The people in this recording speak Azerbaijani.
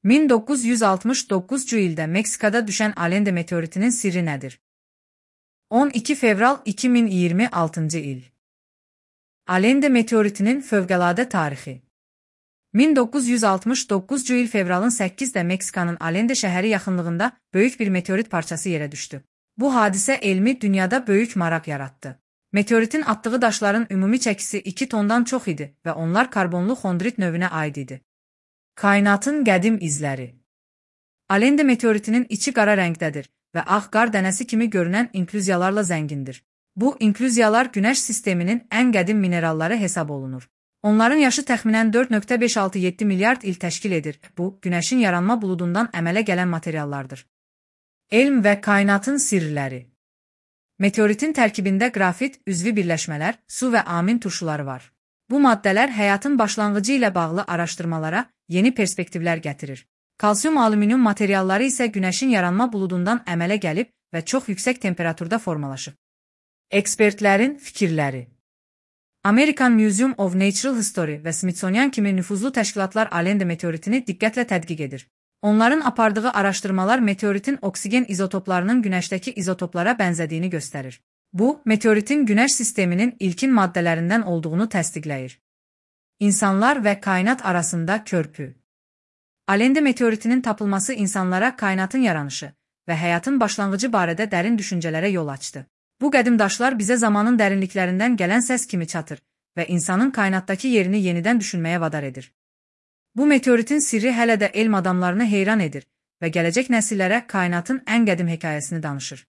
1969 ildə Meksikada düşən Allende meteoritinin sirri nədir? 12 fevral 2026 il. Allende meteoritinin fövqəladə tarixi. 1969 il fevralın 8-də Meksikanın Allende şəhəri yaxınlığında böyük bir meteorit parçası yerə düşdü. Bu hadisə elmi dünyada böyük maraq yaratdı. Meteoritin atdığı daşların ümumi çəkisi 2 tondan çox idi və onlar karbonlu xondrit növünə aid idi. Kainatın qədim izləri. Allende meteoritinin içi qara rəngdədir və ağ qar dənəsi kimi görünən inklüziyalarla zəngindir. Bu inklüziyalar Günəş sisteminin ən qədim mineralları hesab olunur. Onların yaşı təxminən 4,567 milyard il təşkil edir. Bu, Günəşin yaranma buludundan əmələ gələn materiallardır. Elm və kainatın sirləri. Meteoritin tərkibində qrafit, üzvi birləşmələr, su və amin turşuları var. Bu maddələr həyatın başlanğıcı ilə bağlı araşdırmalara yeni perspektivlər gətirir. Kalsium-alüminium materialları isə Günəşin yaranma buludundan əmələ gəlib və çox yüksək temperaturda formalaşıb. Ekspertlərin fikirləri. American Museum of Natural History və Smithsonian kimi nüfuzlu təşkilatlar Allende meteoritini diqqətlə tədqiq edir. Onların apardığı araşdırmalar meteoritin oksigen izotoplarının Günəşdəki izotoplara bənzədiyini göstərir. Bu, meteoritin Günəş sisteminin ilkin maddələrindən olduğunu təsdiqləyir. İnsanlar və kainat arasında körpü. Allende meteoritinin tapılması insanlara kainatın yaranışı və həyatın başlanğıcı barədə dərin düşüncələrə yol açdı. Bu qədim daşlar bizə zamanın dərinliklərindən gələn səs kimi çatır və insanın kainatdakı yerini yenidən düşünməyə vadar edir. Bu meteoritin sirri hələ də elm adamlarını heyran edir və gələcək nəsillərə kainatın ən qədim hekayəsini danışır.